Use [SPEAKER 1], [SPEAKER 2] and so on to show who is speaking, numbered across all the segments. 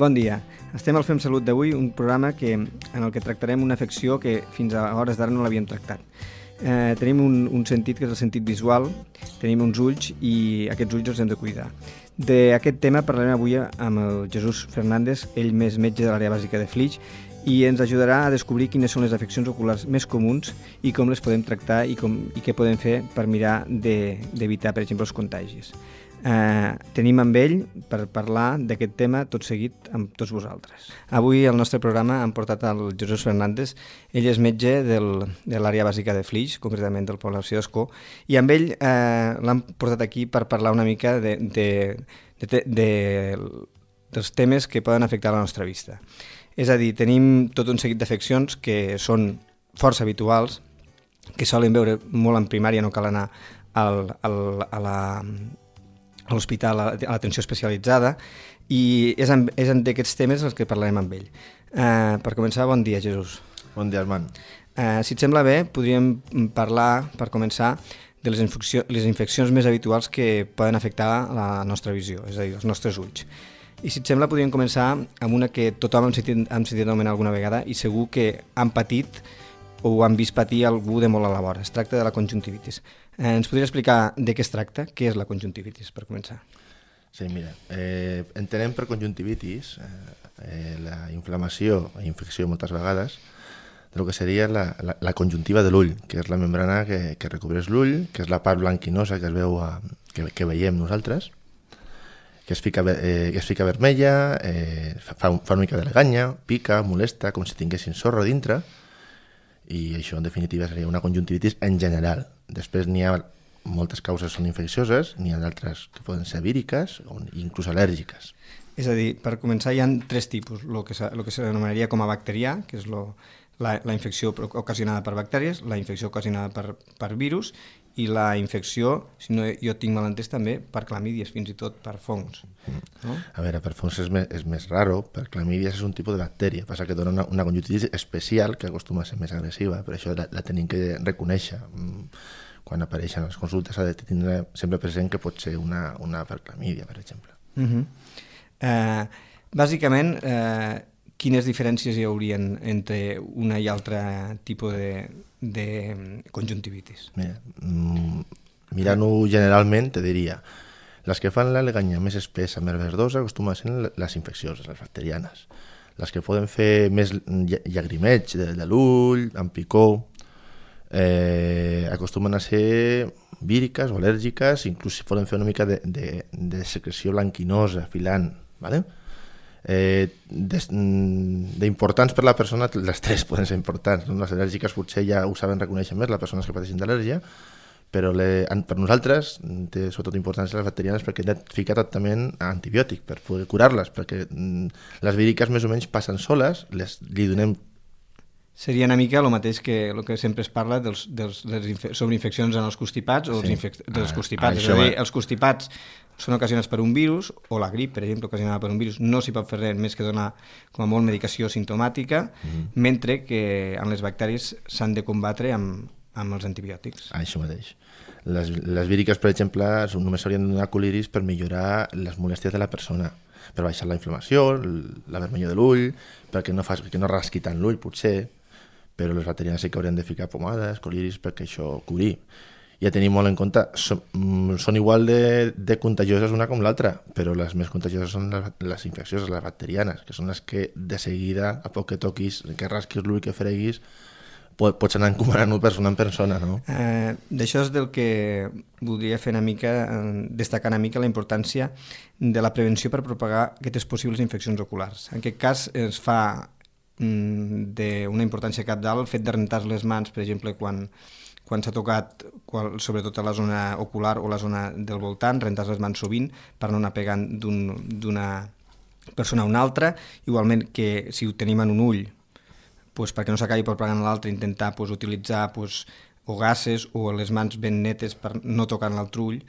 [SPEAKER 1] Bon dia. Estem al Fem Salut d'avui, un programa en el que tractarem una afecció que fins a hores d'ara no l'havíem tractat. Tenim un sentit que és el sentit visual, tenim uns ulls i aquests ulls els hem de cuidar. D'aquest tema parlarem avui amb el Jesús Fernández, ell més metge de l'àrea bàsica de Flix, i ens ajudarà a descobrir quines són les afeccions oculars més comuns i com les podem tractar i què podem fer per mirar d'evitar, per exemple, els contagis. Tenim amb ell per parlar d'aquest tema tot seguit amb tots vosaltres. Avui al nostre programa hem portat el Jesús Fernández. Ell és metge de l'àrea bàsica de Flix, concretament del població d'Escó, i amb ell l'hem portat aquí per parlar una mica dels temes que poden afectar la nostra vista. És a dir, tenim tot un seguit d'afeccions que són força habituals, que solen veure molt en primària, no cal anar a l'hospital, a l'atenció especialitzada, i és d'aquests temes els que parlarem amb ell. Per començar, bon dia, Jesús.
[SPEAKER 2] Bon dia, Armand.
[SPEAKER 1] Si et sembla bé, podríem parlar, per començar, de les infeccions més habituals que poden afectar la nostra visió, és a dir, els nostres ulls. I si et sembla, podríem començar amb una que tothom hem sentit anomenar alguna vegada i segur que han patit o han vist patir algú de molt a la vora. Es tracta de la conjuntivitis. Ens podries explicar de què es tracta? Què és la conjuntivitis, per començar?
[SPEAKER 2] Sí, mira, entenem per conjuntivitis la inflamació i infecció moltes vegades del que seria la conjuntiva de l'ull, que és la membrana que recobreix l'ull, que és la part blanquinosa que es veu que veiem nosaltres, que es fica vermella, fa una mica de leganya, pica, molesta, com si tinguessin sorra dintre, i això en definitiva seria una conjuntivitis en general. Després n'hi ha moltes causes són infeccioses, n'hi ha d'altres que poden ser víriques o inclús al·lèrgiques.
[SPEAKER 1] És a dir, per començar hi ha tres tipus, el que s'anomenaria com a bacterià, que és la infecció ocasionada per bactèries, la infecció ocasionada per virus i la infecció, si no jo tinc mal entès també, per clamídies, fins i tot per fongs. No?
[SPEAKER 2] A veure, per fongs és més raro, per clamídies és un tipus de bactèria, passa que dona una conjuntivitis especial que acostuma a ser més agressiva, per això la tenim que reconèixer. Quan apareixen les consultes s'ha de tindre sempre present que pot ser una per clamídia, per exemple.
[SPEAKER 1] Bàsicament, quines diferències hi haurien entre una i altra tipus de conjuntivitis?
[SPEAKER 2] Mirant-ho generalment, te diria, les que fan la leganya més espessa, més verdosa, acostumen a ser les infeccioses, les bacterianes. Les que poden fer més llagrimeig de l'ull, amb picor, acostumen a ser víriques o al·lèrgiques, inclús si poden fer una mica de secreció blanquinosa, filant, ¿vale? D'importants per la persona, les tres poden ser importants, no? Les al·lèrgiques potser ja ho saben reconèixer més, les persones que pateixen d'al·lèrgia, però per nosaltres té sobretot importància les bacterianes perquè hem de ficar tractament antibiòtic per poder curar-les, perquè les víriques més o menys passen soles, li donem.
[SPEAKER 1] Seria una mica el mateix que el que sempre es parla de les sobreinfeccions en els constipats o dels constipats. És a dir, els constipats són ocasionats per un virus, o la grip, per exemple, ocasionada per un virus, no s'hi pot fer res més que donar com a molt medicació simptomàtica, mentre que en les bactèries s'han de combatre amb els antibiòtics.
[SPEAKER 2] Això mateix. Les víriques, per exemple, només s'haurien de donar coliris per millorar les molèsties de la persona, per baixar la inflamació, la vermellor de l'ull, perquè no rasqui tant l'ull, potser, però les bacterianes sí que haurien de ficar pomades, coliris, perquè això curi. Ja tenim molt en compte, són igual de contagioses una com l'altra, però les més contagioses són les infeccioses, les bacterianes, que són les que de seguida, a poc que toquis, que rasquis l'ull, que freguis, pots anar encomanant-ho persona en persona, no?
[SPEAKER 1] D'això és del que voldria fer destacar una mica la importància de la prevenció per propagar aquestes possibles infeccions oculars. En aquest cas es fa d'una importància cabdal el fet de rentar les mans, per exemple, quan s'ha tocat, sobretot a la zona ocular o la zona del voltant, rentar les mans sovint per no anar pegant d'una persona a una altra. Igualment que si ho tenim en un ull, perquè no s'acabi propagant a l'altre, intentar utilitzar o gases o les mans ben netes per no tocar l'altre ull.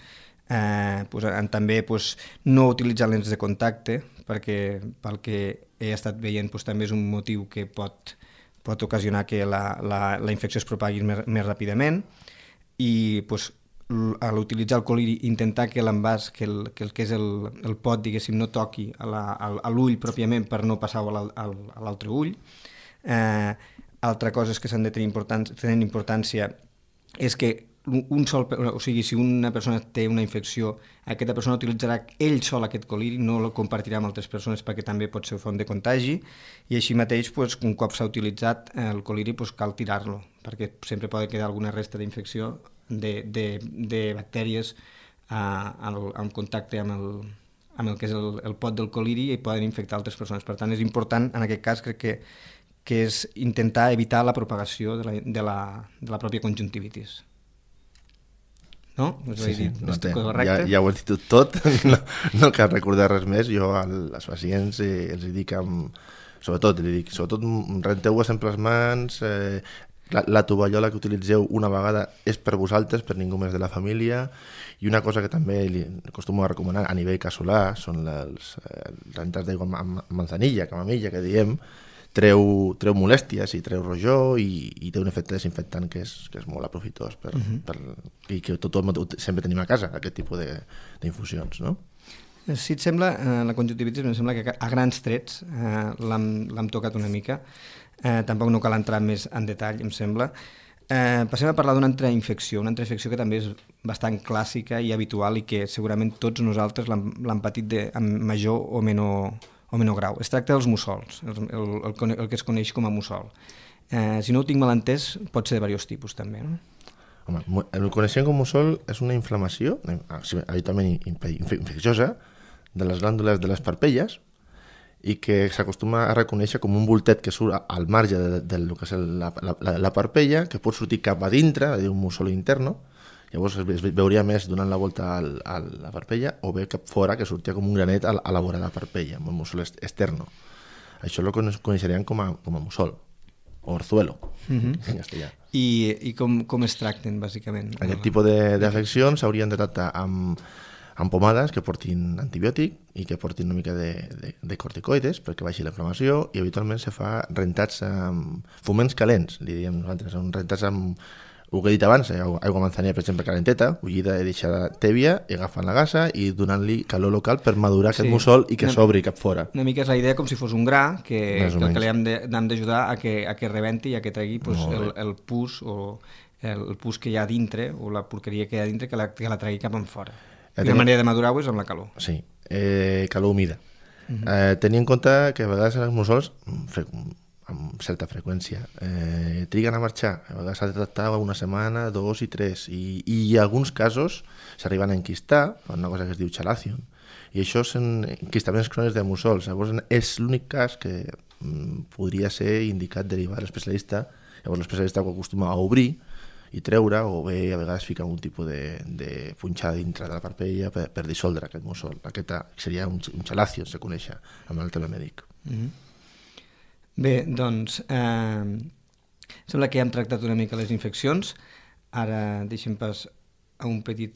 [SPEAKER 1] També no utilitzar lents de contacte, perquè pel que he estat veient també és un motiu que pot ocasionar que la infecció es propagui més ràpidament, i a l'utilitzar el col·liri, intentar que l'envàs, que el que és el pot, diguéssim, no toqui a l'ull pròpiament per no passar-ho a l'altre ull. Altra cosa és que s'han de tenir importància és que o sigui, si una persona té una infecció, aquesta persona utilitzarà ell sol aquest col·liri, no el compartirà amb altres persones perquè també pot ser font de contagi, i així mateix, un cop s'ha utilitzat el col·liri, cal tirar-lo, perquè sempre pot quedar alguna resta d'infecció de bactèries en contacte amb el que és el pot del col·liri i poden infectar altres persones. Per tant, és important, en aquest cas, crec que és intentar evitar la propagació de la pròpia conjuntivitis. No?
[SPEAKER 2] Sí, ja ho he dit tot, no cal recordar res més. Jo als pacients els dic, sobretot renteu-vos sempre les mans, la tovallola que utilitzeu una vegada és per vosaltres, per ningú més de la família, i una cosa que també li acostumo a recomanar a nivell casolà són les rentats d'aigua amb manzanilla, camamilla, que diem, treu molèsties i treu rojor i té un efecte desinfectant que és molt aprofitós i que tothom sempre tenim a casa, aquest tipus d'infusions, no?
[SPEAKER 1] Si et sembla, la conjuntivitis em sembla que a grans trets l'hem tocat una mica, tampoc no cal entrar més en detall, em sembla. Passem a parlar d'una altra infecció que també és bastant clàssica i habitual i que segurament tots nosaltres l'hem patit amb major o menor grau. Es tracta dels mussols, el que es coneix com a mussol. Si no ho tinc mal entès, pot ser de diversos tipus també, no?
[SPEAKER 2] Home, el que coneixem com mussol és una inflamació, habitualment infecciosa, de les glàndules de les parpelles i que s'acostuma a reconèixer com un voltet que surt al marge del que és la parpella, que pot sortir cap a dintre, és a dir, un mussol interno. Llavors es veuria més donant la volta a la parpella o bé cap fora, que sortia com un granet a la vora de la parpella, amb un mussol externo. Això lo coneixerien com a mussol o orzuelo, en castellà.
[SPEAKER 1] I com es tracten, bàsicament?
[SPEAKER 2] Aquest tipus d'afeccions s'haurien de tractar amb pomades que portin antibiòtic i que portin una mica de corticoides perquè baixi la inflamació, i habitualment se fa rentats amb foments calents, li diem nosaltres, són rentats amb el que he dit abans, aigua manzanilla, per exemple, calenteta, bullida i deixada tèbia, i agafant la gasa i donant-li calor local per madurar aquest mussol i que s'obri cap fora.
[SPEAKER 1] Una mica és la idea com si fos un gra, que li hem d'ajudar a que rebenti i a que tregui el pus o el pus que hi ha dintre o la porqueria que hi ha dintre, que la tregui cap en fora. I la manera de madurar-ho és amb la calor.
[SPEAKER 2] Sí, calor humida. Tenir en compte que a vegades els mussols, amb certa freqüència, triguen a marxar. A vegades s'ha de tractar una setmana, 2 i 3, i en alguns casos s'arriben a enquistar, per una cosa que es diu chalazion, i això són enquistaments crònics de mussols. Llavors és l'únic cas que podria ser indicat derivar a l'especialista. Llavors l'especialista ho acostuma a obrir i treure, o bé a vegades fica un tipus de punxada dintre de la parpella per dissoldre aquest mussol. Aquest seria un chalazion, se coneix amb el terme mèdic.
[SPEAKER 1] Bé, doncs sembla que ja hem tractat una mica les infeccions. Ara deixem pas a un petit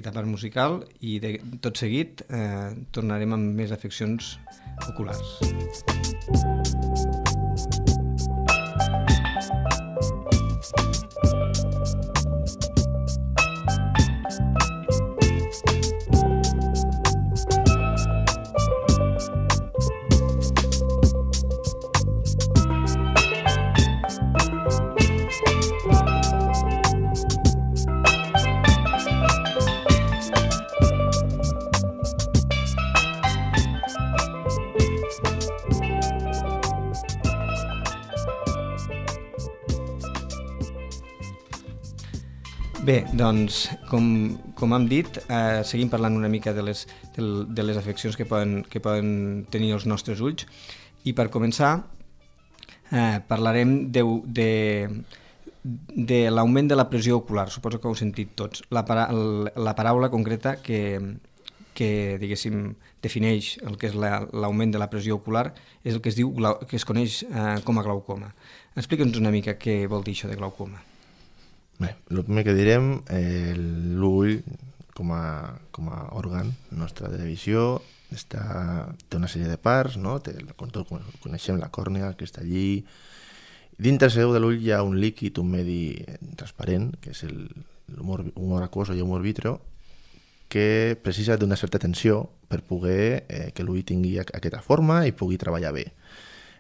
[SPEAKER 1] apart musical i tot seguit tornarem amb més afeccions oculars. Bé, doncs, com hem dit, seguim parlant una mica de les afeccions que poden tenir els nostres ulls, i per començar parlarem de l'augment de la pressió ocular. Suposo que ho heu sentit tots. La paraula concreta que diguéssim, defineix el que és l'augment de la pressió ocular és el que es coneix com a glaucoma. Explica'ns una mica què vol dir això de glaucoma.
[SPEAKER 2] Bé, el primer que direm, l'ull com a òrgan nostre de visió té una sèrie de parts, no? Coneixem la còrnea, el cristallí. Dintre seu de l'ull hi ha un líquid, un medi transparent, que és humor aquós o humor vítreo, que precisa d'una certa tensió per poder que l'ull tingui aquesta forma i pugui treballar bé.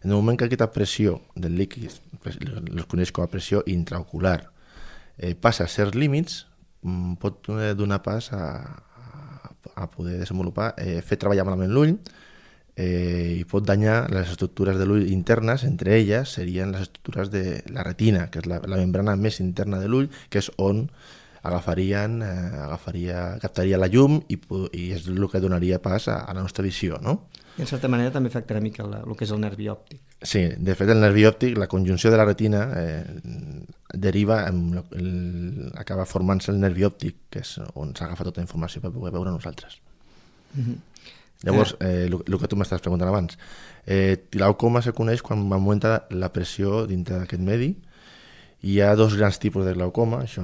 [SPEAKER 2] En el moment que aquesta pressió del líquid, es coneix com a pressió intraocular, passa a certs límits, pot donar pas a poder desenvolupar, fer treballar malament l'ull, i pot danyar les estructures de l'ull internes, entre elles serien les estructures de la retina, que és la membrana més interna de l'ull, que és on captaria la llum i és el que donaria pas a la nostra visió, no?
[SPEAKER 1] I en certa manera també afectarà mica el que és el nervi òptic.
[SPEAKER 2] Sí, de fet el nervi òptic, la conjunció de la retina deriva, acaba formant-se el nervi òptic, que és on s'agafa tota la informació per poder veure nosaltres. Llavors, el que tu m'estàs preguntant abans, glaucoma se coneix quan augmenta la pressió dintre d'aquest medi. Hi ha dos grans tipus de glaucoma, això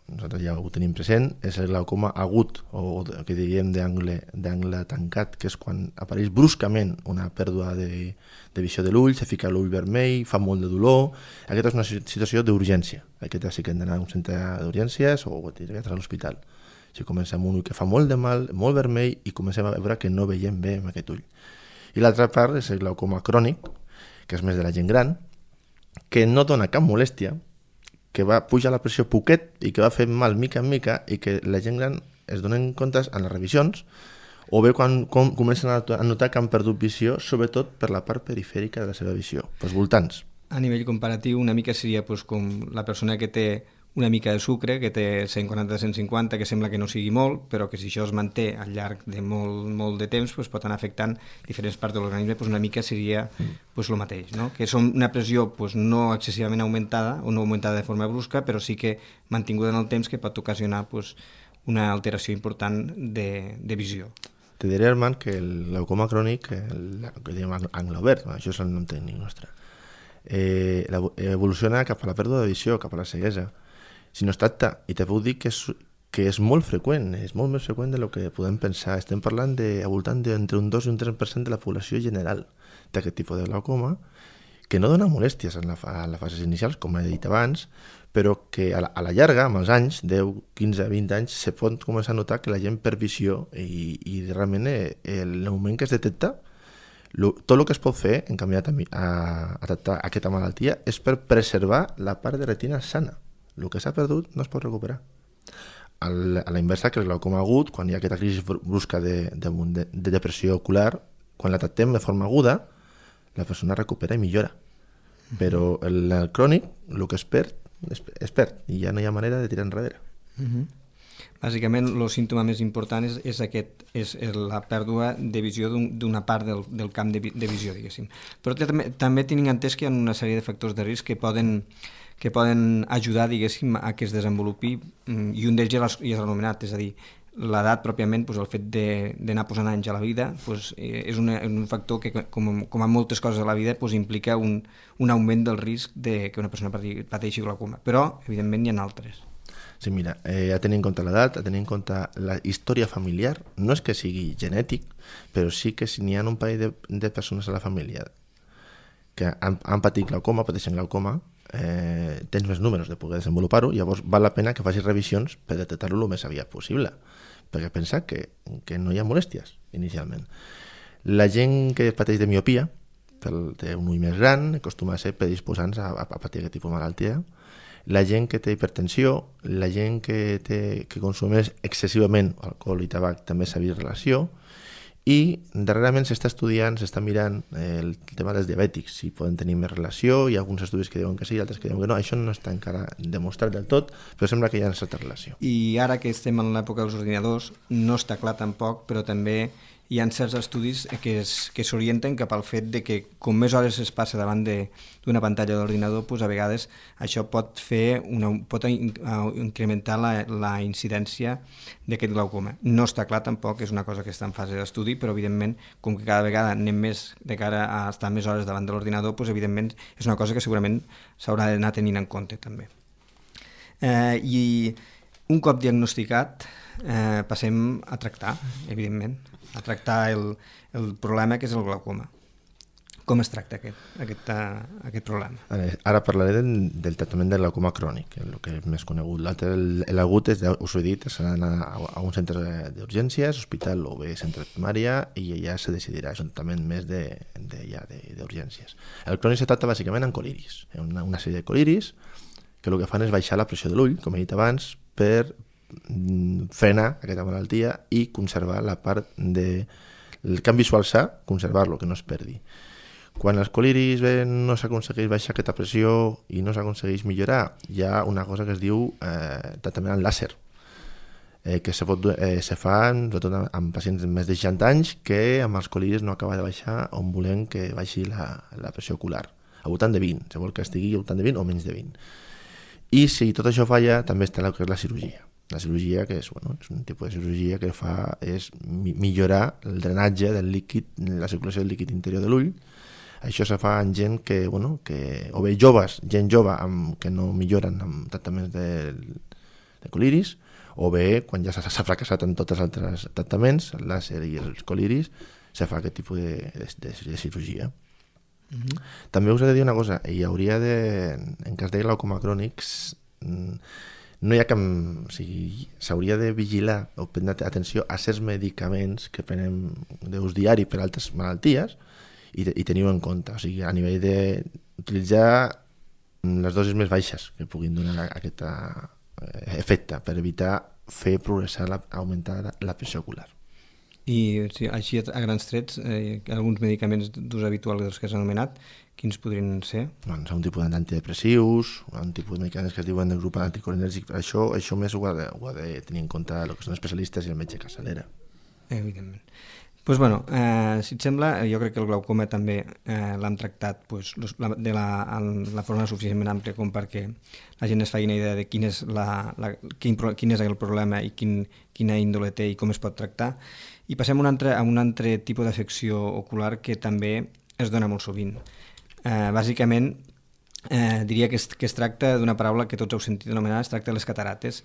[SPEAKER 2] nosaltres ja ho tenim present, és el glaucoma agut, o que diríem d'angle tancat, que és quan apareix bruscament una pèrdua de visió de l'ull, se fica l'ull vermell, fa molt de dolor. Aquesta és una situació d'urgència. Aquesta sí que hem d'anar a un centre d'urgències o a l'hospital. Si comencem amb un ull que fa molt de mal, molt vermell, i comencem a veure que no veiem bé amb aquest ull. I l'altra part és el glaucoma crònic, que és més de la gent gran, que no dona cap molèstia, que va pujar la pressió poquet i que va fer mal mica en mica, i que la gent gran es donen comptes en les revisions o bé quan comencen a notar que han perdut visió, sobretot per la part perifèrica de la seva visió, pels voltants.
[SPEAKER 1] A nivell comparatiu, una mica seria com la persona que té una mica de sucre, que té 140-150, que sembla que no sigui molt, però que si això es manté al llarg de molt de temps pot anar afectant diferents parts de l'organisme, una mica seria el mateix, no? Que és una pressió no excessivament augmentada o no augmentada de forma brusca, però sí que mantinguda en el temps, que pot ocasionar una alteració important de visió.
[SPEAKER 2] Te diré, Armand, que el glaucoma crònic, que diem angle obert, això és el nom tècnic nostre, evoluciona cap a la pèrdua de visió, cap a la ceguesa, si no es tracta, i te puc dir que és molt freqüent, és molt més freqüent del que podem pensar. Estem parlant al voltant d'entre un 2 i un 3% de la població general d'aquest tipus de glaucoma, que no dona molèsties en les fases inicials, com he dit abans, però que a la llarga, amb els anys, 10, 15, 20 anys, se pot començar a notar que la gent perd visió i realment el moment que es detecta, tot el que es pot fer en canviar a tractar aquesta malaltia és per preservar la part de retina sana. El que s'ha perdut no es pot recuperar. A la inversa que el glaucoma agut, quan hi ha aquesta crisi brusca de depressió ocular, quan la tractem de forma aguda, la persona recupera i millora. Però el crònic, el que es perd, i ja no hi ha manera de tirar enrere.
[SPEAKER 1] Bàsicament, el símptoma més important és la pèrdua de visió d'una part del camp de visió, diguéssim. Però també tinc entès que hi ha una sèrie de factors de risc que poden ajudar, diguéssim, a que es desenvolupi, i un d'ells ja és anomenat, és a dir, l'edat pròpiament, el fet d'anar posant anys a la vida, és un factor que, com a moltes coses a la vida, implica un augment del risc de que una persona pateixi glaucoma. Però, evidentment, hi ha altres.
[SPEAKER 2] Sí, mira, a tenir en compte l'edat, a tenir en compte la història familiar, no és que sigui genètic, però sí que si n'hi ha un parell de persones a la família que han patit glaucoma, pateixen glaucoma, tens més números de poder desenvolupar-ho, llavors val la pena que facis revisions per detectar-lo el més aviat possible, perquè pensa que no hi ha molèsties inicialment. La gent que pateix de miopia, té un ull més gran, acostuma a ser predisposants a patir aquest tipus de malaltia. La gent que té hipertensió, la gent que consumeix excessivament alcohol i tabac també s'ha vist relació, i darrerament s'està estudiant, s'està mirant el tema dels diabètics, si poden tenir més relació. Hi ha alguns estudis que diuen que sí, altres que diuen que no. Això no està encara demostrat del tot, però sembla que hi ha una certa relació.
[SPEAKER 1] I ara que estem en l'època dels ordinadors, no està clar tampoc, però també hi ha certs estudis que s'orienten cap al fet de que com més hores es passa davant d'una pantalla d'ordinador, a vegades això pot incrementar la incidència d'aquest glaucoma. No està clar tampoc, és una cosa que està en fase d'estudi, però evidentment, com que cada vegada anem més de cara a estar més hores davant de l'ordinador, evidentment és una cosa que segurament s'haurà d'anar tenint en compte també. I un cop diagnosticat, passem a tractar, evidentment, a tractar el problema que és el glaucoma. Com es tracta aquest problema?
[SPEAKER 2] Ara parlaré del tractament de glaucoma crònic, el que és més conegut. L'altre, l'agut, us ho he dit, s'ha d'anar a un centre d'urgències, hospital o bé centre de primària, i ja se decidirà, és un tractament més d'urgències. El crònic se tracta bàsicament amb coliris, una sèrie de coliris que el que fan és baixar la pressió de l'ull, com he dit abans, per frenar aquesta malaltia i conservar la part del camp visual sa, conservar-lo, que no es perdi. Quan els coliris no s'aconsegueix baixar aquesta pressió i no s'aconsegueix millorar, hi ha una cosa que es diu tractament amb làser, que se fa sobretot amb pacients de més de 60 anys que amb els coliris no acaba de baixar on volem que baixi la pressió ocular. A voltant de 20, se vol que estigui a voltant de 20 o menys de 20. I si tot això falla, també està el que és la cirurgia. La cirurgia, que és un tipus de cirurgia que fa és millorar el drenatge del líquid, la circulació del líquid interior de l'ull. Això se fa en gent que o bé joves, gent jove que no milloren amb tractaments de coliris, o bé quan ja s'ha fracassat en tots els altres tractaments, el làser i els coliris, se fa aquest tipus de cirurgia. També us he de dir una cosa, hi hauria en cas de glaucoma crònics, no hi ha cap... O sigui, s'hauria de vigilar o prendre atenció a certs medicaments que prenem d'ús diari per altres malalties, i teniu en compte, o sigui, a nivell d'utilitzar les dosis més baixes que puguin donar aquest efecte per evitar fer progressar, augmentar la pressió ocular.
[SPEAKER 1] I així a grans trets, alguns medicaments d'ús habitual dels que s'han anomenat, quins podrien ser?
[SPEAKER 2] Doncs un tipus d'antidepressius, un tipus de medicaments que es diuen del grup anticolinèrgic, això més ho ha de tenir en compte el que són especialistes i el metge capçalera.
[SPEAKER 1] Evidentment. Doncs si et sembla, jo crec que el glaucoma també l'hem tractat de la forma suficientment àmplia com perquè la gent es faci una idea de quin és el problema i quina índole té i com es pot tractar. I passem a un altre tipus d'afecció ocular que també es dona molt sovint. Bàsicament, diria que es tracta d'una paraula que tots heu sentit anomenar, es tracta de les catarates,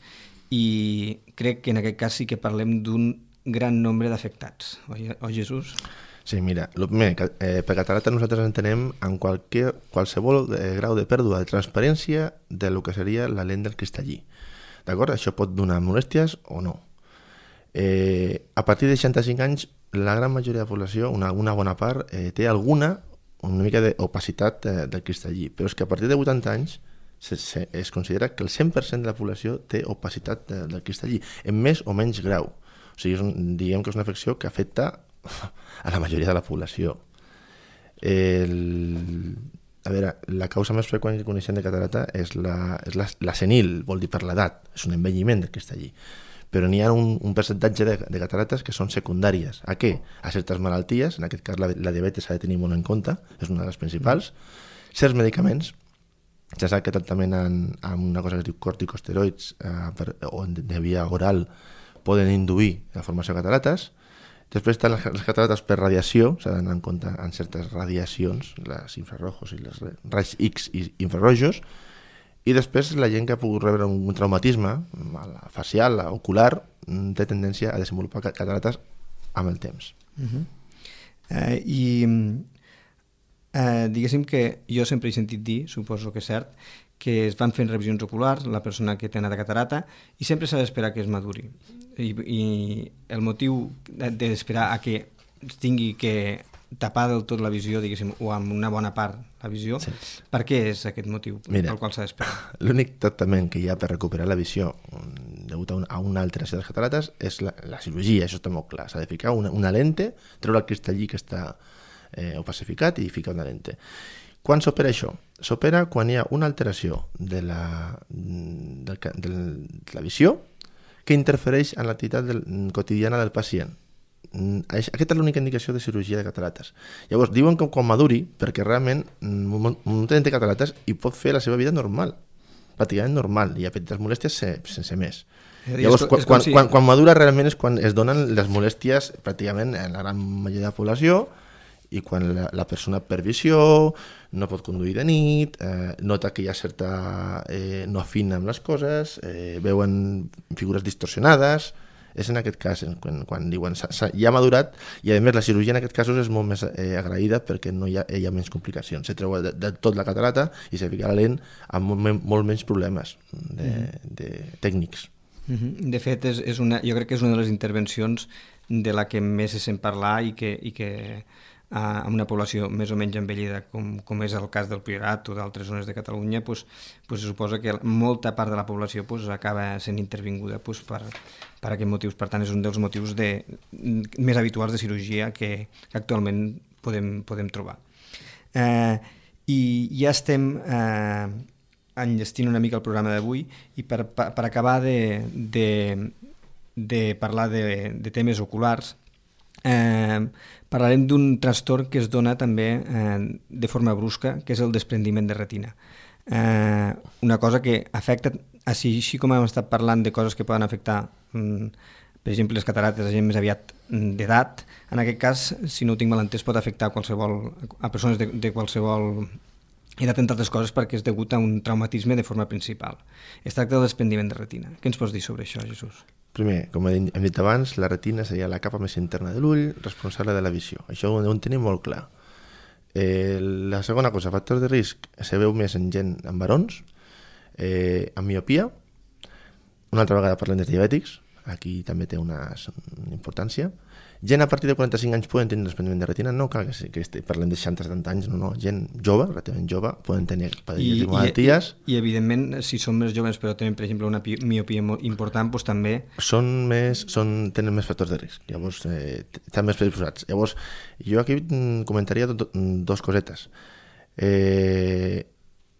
[SPEAKER 1] i crec que en aquest cas sí que parlem d'un gran nombre d'afectats, oi Jesús?
[SPEAKER 2] Sí, mira, per catarata nosaltres entenem en qualsevol grau de pèrdua de transparència de lo que seria la lent del cristallí. D'acord? Això pot donar molèsties o no. A partir de 65 anys, la gran majoria de la població, una bona part, té una mica d'opacitat del cristallí, però és que a partir de 80 anys es considera que el 100% de la població té opacitat del cristallí, en més o menys grau. O sigui, diguem que és una afecció que afecta a la majoria de la població. A veure, la causa més freqüent que coneixem de catarata és la senil, vol dir per l'edat, és un envelliment del cristallí. Però n'hi ha un percentatge de catarates que són secundàries. A què? A certes malalties, en aquest cas la diabetes s'ha de tenir molt en compte, és una de les principals. Certs medicaments, ja sap que tractament amb una cosa que es diu corticosteroids o de via oral poden induir la formació de catarates. Després estan les catarates per radiació, s'ha d'anar en compte en certes radiacions, les infrarrojos i les raigs X i infrarrojos, i després la gent que ha pogut rebre un traumatisme facial, ocular, té tendència a desenvolupar catarates amb el temps.
[SPEAKER 1] Diguéssim que jo sempre he sentit dir, suposo que és cert, que es van fent revisions oculars, la persona que té anat a catarata, i sempre s'ha d'esperar que es maduri. I el motiu d'esperar a que tingui que tapar del tot la visió, diguéssim, o amb una bona part la visió, sí. Per què és aquest motiu pel qual s'ha d'esperar?
[SPEAKER 2] L'únic tractament que hi ha per recuperar la visió degut a una alteració de les catarates és la cirurgia, això està molt clar. S'ha de ficar una lente, treure el cristallí que està opacificat i ficar una lente. Quan s'opera això? S'opera quan hi ha una alteració de la visió que interfereix en l'activitat quotidiana del pacient. Aquesta és l'única indicació de cirurgia de catarates. Llavors, diuen que quan maduri, perquè realment molta gent té catarates i pot fer la seva vida normal, pràcticament normal, i ha petites molèsties sense més. Llavors, quan madura realment és quan es donen les molèsties pràcticament en la gran majoria de la població, i quan la persona perd visió, no pot conduir de nit, nota que hi ha certa... no afina amb les coses, veuen figures distorsionades, és en aquest cas, quan diuen ja ha madurat, i a més la cirurgia en aquest cas és molt més agraïda perquè no hi ha menys complicacions. Se treu de tot la catarata i se fica la lent amb molt menys problemes tècnics.
[SPEAKER 1] De fet, jo crec que és una de les intervencions de la que més se sent parlar i que amb una població més o menys envellida com és el cas del Priorat o d'altres zones de Catalunya, se suposa que molta part de la població acaba sent intervinguda per aquests motius. Per tant, és un dels motius més habituals de cirurgia que actualment podem trobar. I ja estem enllestint una mica el programa d'avui i per acabar de parlar de temes oculars, parlarem d'un trastorn que es dona també de forma brusca, que és el desprendiment de retina. Una cosa que afecta, així com hem estat parlant de coses que poden afectar, per exemple, les catarates a gent més aviat d'edat, en aquest cas, si no ho tinc mal entès, pot afectar a persones de qualsevol edat, entre altres coses, perquè és degut a un traumatisme de forma principal. Es tracta del desprendiment de retina. Què ens pots dir sobre això, Jesús?
[SPEAKER 2] Primer, com hem dit abans, la retina seria la capa més interna de l'ull, responsable de la visió. Això ho tenim molt clar. La segona cosa, factors de risc, se veu més en gent amb barons, amb miopia. Una altra vegada parlem de diabètics, aquí també té una importància. Gent a partir de 45 anys poden tenir desprendiment de retina, no cal que parlem de 60-70 anys, no, gent jove, relativament jove, poden tenir malalties.
[SPEAKER 1] I evidentment, si són més joves però tenen, per exemple, una miopia important, doncs també...
[SPEAKER 2] Tenen més factors de risc, llavors estan més predisposats. Llavors, jo aquí comentaria dos cosetes.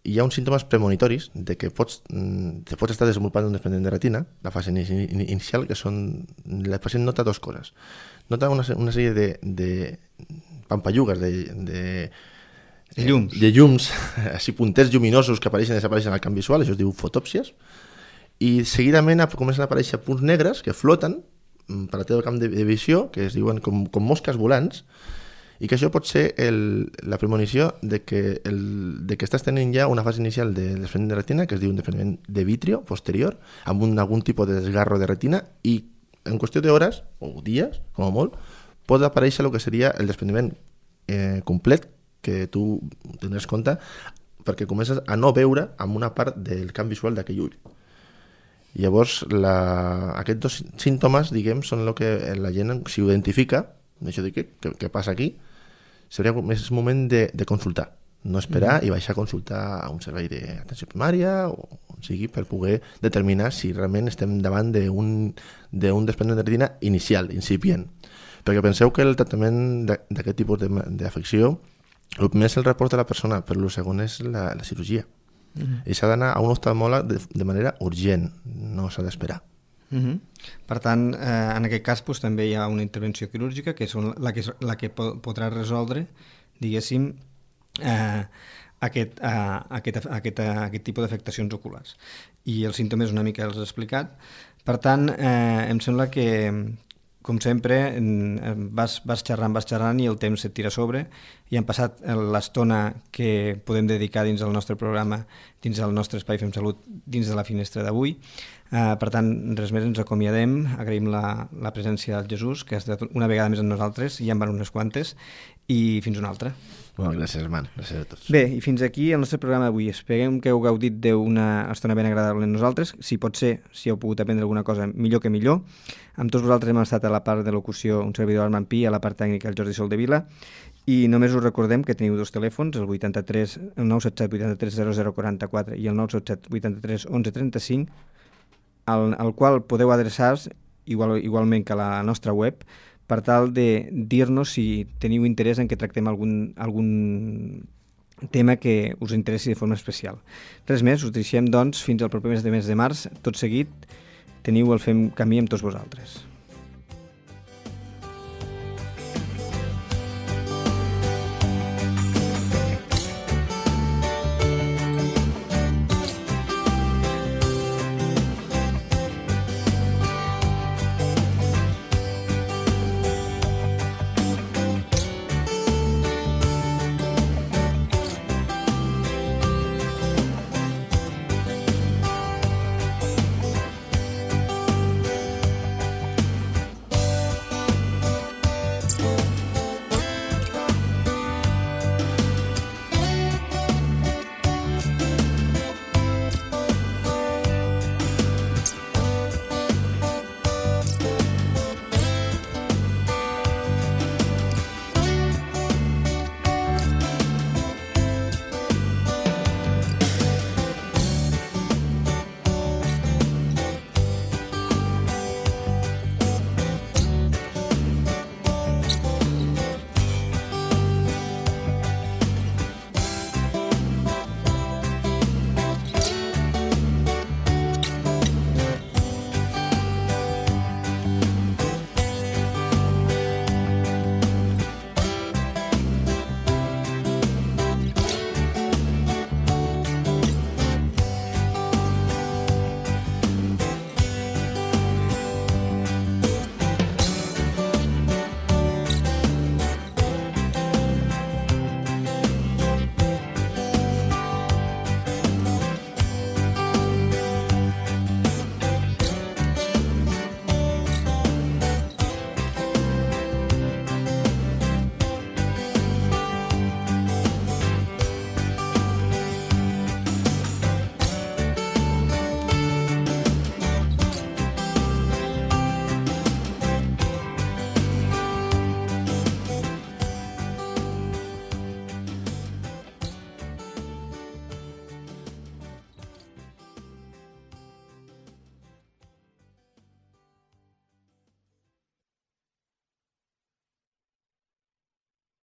[SPEAKER 2] Hi ha uns símptomes premonitoris de que pots estar desenvolupant un desprendiment de retina, la fase inicial, que són... El pacient nota dues coses. Nota una sèrie de pampallugues, de llums, així punters lluminosos que apareixen i desapareixen al camp visual, això es diu fotòpsies, i seguidament comencen a aparèixer punts negres que floten per la teva camp de visió, que es diuen com mosques volants, i que això pot ser la premonició de que estàs tenint ja una fase inicial de desprendiment de retina, que es diu un desprendiment de vitrio posterior, amb algun tipus de desgarro de retina, i en qüestió d'hores, o dies, com a molt, pot aparèixer el que seria el desprendiment complet, que tu tindràs compte, perquè comences a no veure amb una part del camp visual d'aquell ull. Llavors, aquests dos símptomes, diguem, són el que la gent s'hi identifica, això de què passa aquí, seria més moment de consultar, no esperar i baixar a consultar a un servei d'atenció primària o on sigui per poder determinar si realment estem davant d'un desprendiment de retina inicial, incipient. Perquè penseu que el tractament d'aquest tipus d'afecció, el primer és el report de la persona, però el segon és la cirurgia. I s'ha d'anar a un oftalmòleg de manera urgent, no s'ha d'esperar.
[SPEAKER 1] Per tant, en aquest cas també hi ha una intervenció quirúrgica que és la que podrà resoldre, diguéssim, aquest tipus d'afectacions oculars. I els símptomes una mica els he explicat. Per tant, em sembla que, com sempre, vas xerrant i el temps et tira a sobre i hem passat l'estona que podem dedicar dins del nostre programa, dins del nostre Espai Fem Salut, dins de la finestra d'avui. Per tant, res més, ens acomiadem, agraïm la presència del Jesús, que ha estat una vegada més amb nosaltres, ja en van unes quantes, i fins una altra.
[SPEAKER 2] Molt gràcies, Armand. Gràcies a tots.
[SPEAKER 1] Bé, i fins aquí el nostre programa d'avui. Esperem que heu gaudit d'una estona ben agradable amb nosaltres. Si pot ser, si heu pogut aprendre alguna cosa, millor que millor. Amb tots vosaltres hem estat a la part de locució un servidor Armand Pi, a la part tècnica el Jordi Soldevila, i només us recordem que teniu dos telèfons, el 977 83 0044 i el 977 83 11 35, al qual podeu adreçar-vos igualment que a la nostra web, per tal de dir-nos si teniu interès en que tractem algun tema que us interessi de forma especial. Res més, us deixem doncs fins al proper mes de març. Tot seguit teniu el Fem Camí amb tots vosaltres.